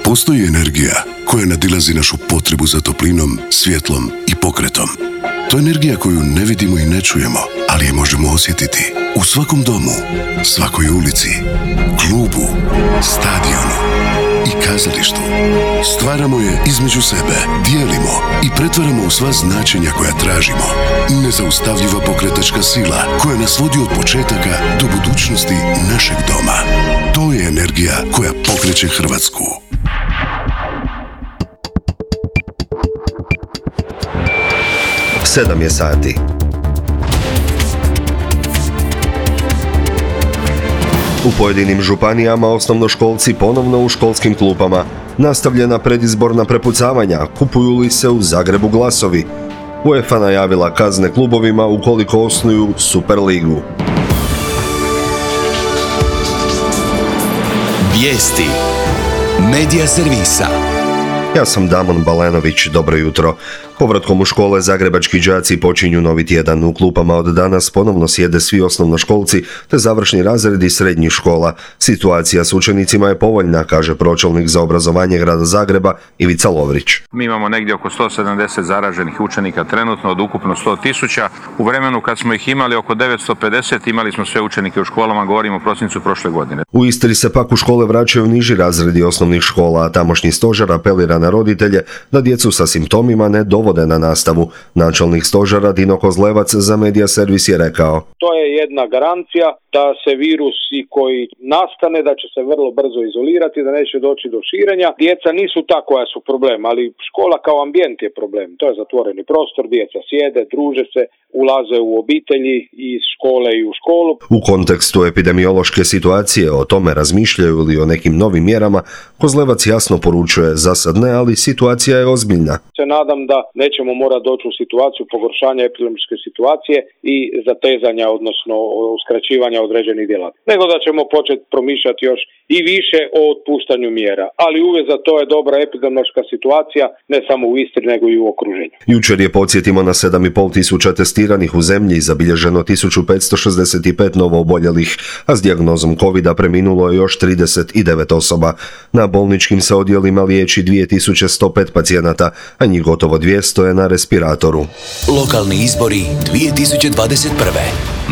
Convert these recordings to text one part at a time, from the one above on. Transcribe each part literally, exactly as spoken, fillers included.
Postoji energija koja nadilazi našu potrebu za toplinom, svjetlom i pokretom. To je energija koju ne vidimo i ne čujemo, ali je možemo osjetiti u svakom domu, svakoj ulici, klubu, stadionu i kazalištu. Stvaramo je između sebe, dijelimo i pretvaramo u sva značenja koja tražimo. Nezaustavljiva pokretačka sila koja nas vodi od početaka do budućnosti našeg doma. To je energija koja pokreće Hrvatsku. Sedam je sati. U pojedinim županijama osnovnoškolci ponovno u školskim klupama. Nastavljena predizborna prepucavanja, kupuju li se u Zagrebu glasovi. UEFA najavila kazne klubovima ukoliko osnuju Superligu. Vijesti Medija servisa. Ja sam Damon Balenović, dobro jutro. Povratkom u škole zagrebački đaci počinju novi tjedan. U klupama od danas ponovno sjede svi osnovnoškolci te završni razredi srednjih škola. Situacija s učenicima je povoljna, kaže pročelnik za obrazovanje grada Zagreba Ivica Lovrić. Mi imamo negdje oko sto sedamdeset zaraženih učenika trenutno od ukupno sto tisuća. U vremenu kad smo ih imali oko devetsto pedeset imali smo sve učenike u školama, govorimo o prosincu prošle godine. U Istri se pak u škole vraćaju niži razredi osnovnih škola, a tamošnji stožer apelira na roditelje da djecu sa simptomima ne dovode na nastavu. Načelnik stožera Dino Kozlevac za Medija servis je rekao: To je jedna garancija da se virusi koji nastane, da će se vrlo brzo izolirati, da neće doći do širenja. Djeca nisu ta koja su problem, ali škola kao ambijent je problem. To je zatvoreni prostor, djeca sjede, druže se, ulaze u obitelji iz škole i u školu. U kontekstu epidemiološke situacije o tome razmišljaju li o nekim novim mjerama, Kozlevac jasno poručuje: za sad ne, ali situacija je ozbiljna. Se nadam da nećemo morati doći u situaciju pogoršanja epidemiološke situacije i zatezanja, odnosno uskraćivanja određenih djelatnosti, nego da ćemo početi promišljati još i više o otpuštanju mjera. Ali uvijek za to je dobra epidemiološka situacija, ne samo u Istri, nego i u okruženju. Jučer je, podsjetimo, na sedam i pol tisuća testiranih u zemlji zabilježeno tisuću petsto šezdeset pet novo oboljelih, a s dijagnozom covida preminulo je još trideset devet osoba. Na bolničkim se odjelima liječi dvije tisuće sto pet pacijenata, a njih gotovo dvjesto je na respiratoru. Lokalni izbori dvije tisuće dvadeset prve.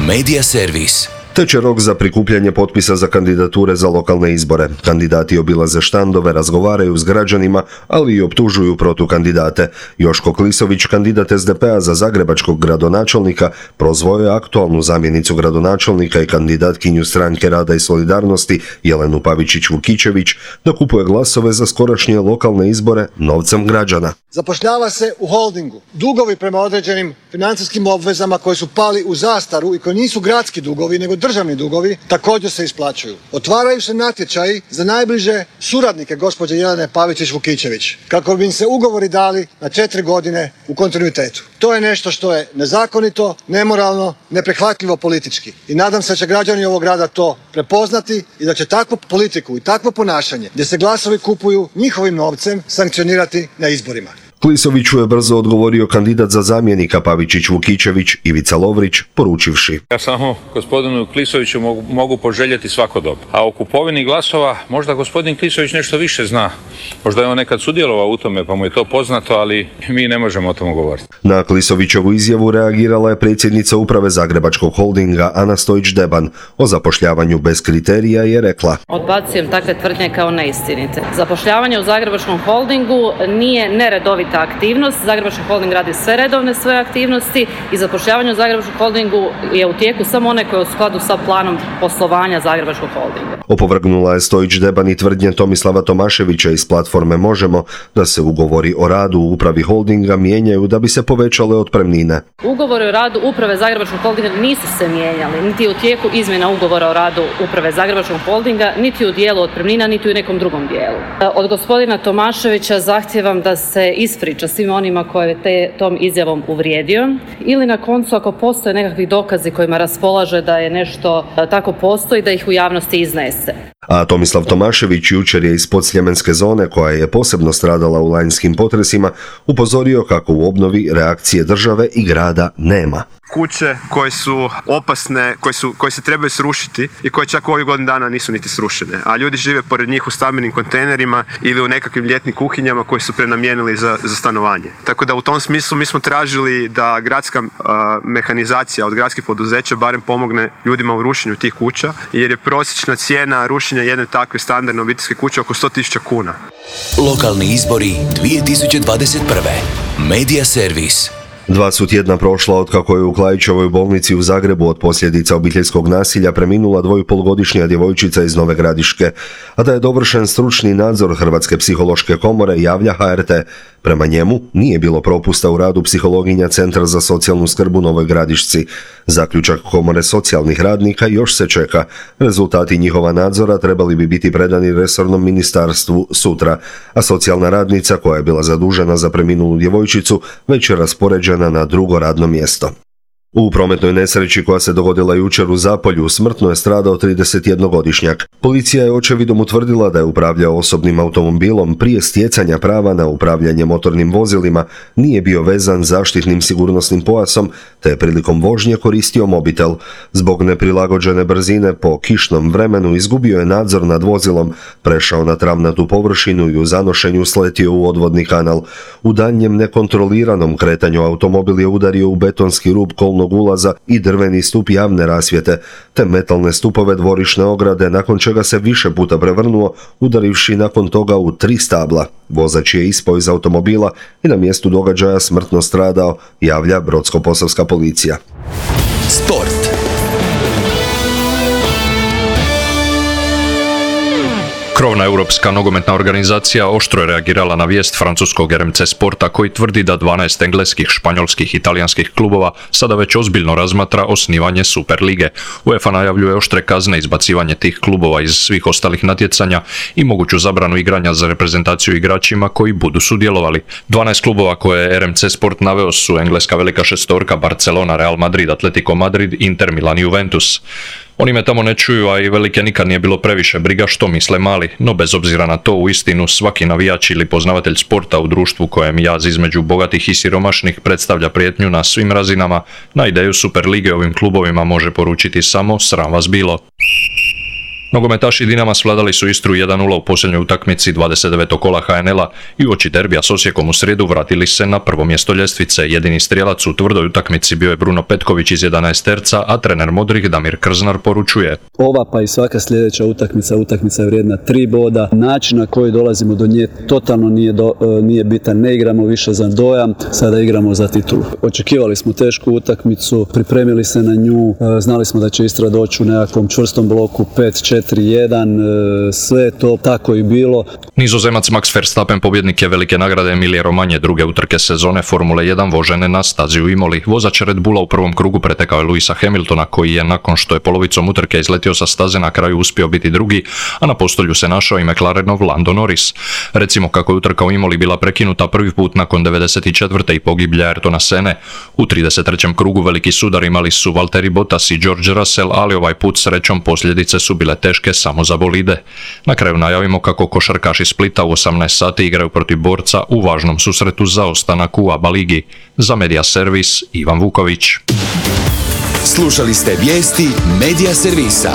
Medija servis. Teče rok za prikupljanje potpisa za kandidature za lokalne izbore. Kandidati obilaze štandove, razgovaraju s građanima, ali i optužuju protukandidate. Joško Klisović, kandidat es de pe a za zagrebačkog gradonačelnika, prozvao je aktualnu zamjenicu gradonačelnika i kandidatkinju Stranke rada i solidarnosti Jelenu Pavičić-Vukičević da kupuje glasove za skorašnje lokalne izbore novcem građana. Zapošljava se u holdingu. Dugovi prema određenim financijskim obvezama koji su pali u zastaru i koji nisu gradski dugovi, nego državni dugovi, također se isplaćuju. Otvaraju se natječaji za najbliže suradnike gospođe Jelene Pavičić-Vukičević, kako bi im se ugovori dali na četiri godine u kontinuitetu. To je nešto što je nezakonito, nemoralno, neprihvatljivo politički. I nadam se da će građani ovog grada to prepoznati i da će takvu politiku i takvo ponašanje, gdje se glasovi kupuju njihovim novcem, sankcionirati na izborima. Klisoviću je brzo odgovorio kandidat za zamjenika Pavičić-Vukičević Ivica Lovrić, poručivši: Ja samo gospodinu Klisoviću mogu, mogu poželjeti svako dobro. A o kupovini glasova možda gospodin Klisović nešto više zna. Možda je on nekad sudjelovao u tome pa mu je to poznato, ali mi ne možemo o tome govoriti. Na Klisovićevu izjavu reagirala je predsjednica uprave Zagrebačkog holdinga Ana Stojić-Deban. O zapošljavanju bez kriterija je rekla: Odbacujem takve tvrdnje kao neistinite. Zapošljavanje u Zagrebačkom holdingu nije neredovita aktivnost. Zagrebački holding radi sve redovne svoje aktivnosti i zapošljavanje u Zagrebačkom holdingu je u tijeku samo one koje je u skladu sa planom poslovanja Zagrebačkog holdinga. Opovrgnula je Stojić-Deban i tvrdnje Tomislava Tomaševića iz platforme Možemo da se ugovori o radu u upravi holdinga mijenjaju da bi se povećale otpremnine. Ugovori o radu uprave Zagrebačkog holdinga nisu se mijenjali, niti u tijeku izmjena ugovora o radu uprave Zagrebačkog holdinga, niti u dijelu otpremnina, niti u nekom drugom dijelu. Od gospodina Tomaševića zahtijevam da se ispriča svim onima koje je te, tom izjavom uvrijedio, ili na koncu ako postoje nekakvi dokazi kojima raspolaže da je nešto tako postoji, da ih u javnosti iznese. A Tomislav Tomašević jučer je iz podsljemenske zone, koja je posebno stradala u lanjskim potresima, upozorio kako u obnovi reakcije države i grada nema. Kuće koje su opasne, koje, su, koje se trebaju srušiti i koje čak u ovih godinu dana nisu niti srušene, a ljudi žive pored njih u stambenim kontejnerima ili u nekakvim ljetnim kuhinjama koje su prenamijenili za, za stanovanje. Tako da u tom smislu mi smo tražili da gradska uh, mehanizacija od gradskih poduzeća barem pomogne ljudima u rušenju tih kuća, jer je prosječna cijena rušenja jedne takve standardne obiteljske kuće oko sto tisuća kuna. Lokalni izbori dvije tisuće dvadeset prve. Medija servis. Dva su tjedna prošla otkako je u Klaićevoj bolnici u Zagrebu od posljedica obiteljskog nasilja preminula dvojpolugodišnja djevojčica iz Nove Gradiške, a da je dovršen stručni nadzor Hrvatske psihološke komore, javlja H R T. Prema njemu nije bilo propusta u radu psihologinja Centra za socijalnu skrb u Novoj Gradišci. Zaključak komore socijalnih radnika još se čeka. Rezultati njihova nadzora trebali bi biti predani resornom ministarstvu sutra, a socijalna radnica koja je bila zadužena za preminulu djevojčicu već je raspoređena na drugo radno mjesto. U prometnoj nesreći koja se dogodila jučer u Zapolju smrtno je stradao tridesetjednogodišnjak. Policija je očevidom utvrdila da je upravljao osobnim automobilom prije stjecanja prava na upravljanje motornim vozilima, nije bio vezan zaštitnim sigurnosnim pojasom te je prilikom vožnje koristio mobitel. Zbog neprilagođene brzine po kišnom vremenu izgubio je nadzor nad vozilom, prešao na travnatu površinu i u zanošenju sletio u odvodni kanal. U daljnjem nekontroliranom kretanju automobil je udario u betonski rub kolnog ulaza i drveni stup javne rasvjete, te metalne stupove dvorišne ograde, nakon čega se više puta prevrnuo, udarivši nakon toga u tri stabla. Vozač je ispao iz automobila i na mjestu događaja smrtno stradao, javlja Brodsko-posavska policija. Sport. Krovna europska nogometna organizacija oštro je reagirala na vijest francuskog R M C Sporta koji tvrdi da dvanaest engleskih, španjolskih i talijanskih klubova sada već ozbiljno razmatra osnivanje Superlige. UEFA najavljuje oštre kazne, izbacivanje tih klubova iz svih ostalih natjecanja i moguću zabranu igranja za reprezentaciju igračima koji budu sudjelovali. dvanaest klubova koje je R M C Sport naveo su engleska velika šestorka Barcelona, Real Madrid, Atletico Madrid, Inter Milan i Juventus. Oni me tamo ne čuju, a i velike nikad nije bilo previše briga što misle mali, no bez obzira na to uistinu svaki navijač ili poznavatelj sporta u društvu kojem jaz između bogatih i siromašnih predstavlja prijetnju na svim razinama, na ideju Superlige ovim klubovima može poručiti samo sram vas bilo. Nogometaši Dinama svladali su Istru jedan nula u posljednjoj utakmici dvadeset devetog kola H N L-a i uoči derbija s Osijekom u srijedu vratili se na prvo mjesto ljestvice. Jedini strijelac u tvrdoj utakmici bio je Bruno Petković iz jedanaesterca, a trener modrih Damir Krznar poručuje: ova pa i svaka sljedeća utakmica, utakmica je vrijedna tri boda. Način na koji dolazimo do nje totalno nije, do, nije bitan. Ne igramo više za dojam, sada igramo za titulu. Očekivali smo tešku utakmicu, pripremili se na nju, znali smo da će Istra doći u nekakvom čvrstom bloku pet četiri jedan, sve to tako i bilo. Nizozemac Max Verstappen pobjednik je velike nagrade Emilije Romanje, druge utrke sezone Formule jedan vožene na stazi u Imoli. Vozač Red Bulla u prvom krugu pretekao je Luisa Hamiltona, koji je nakon što je polovicom utrke izletio sa staze na kraju uspio biti drugi, a na postolju se našao i McLarenov Lando Norris. Recimo kako je utrka u Imoli bila prekinuta prvi put nakon devedeset četvrte i pogiblja Ayrtona Sene. U trideset trećem krugu veliki sudar imali su Valtteri Bottas i George Russell, ali ovaj put srećom posljedice su bile teške samo za bolide. Na kraju najavimo kako košarkaši Splita u osamnaest sati igraju protiv Borca u važnom susretu za ostanak u A B A ligi. Za Medija servis Ivan Vuković. Slušali ste vijesti Medija servisa.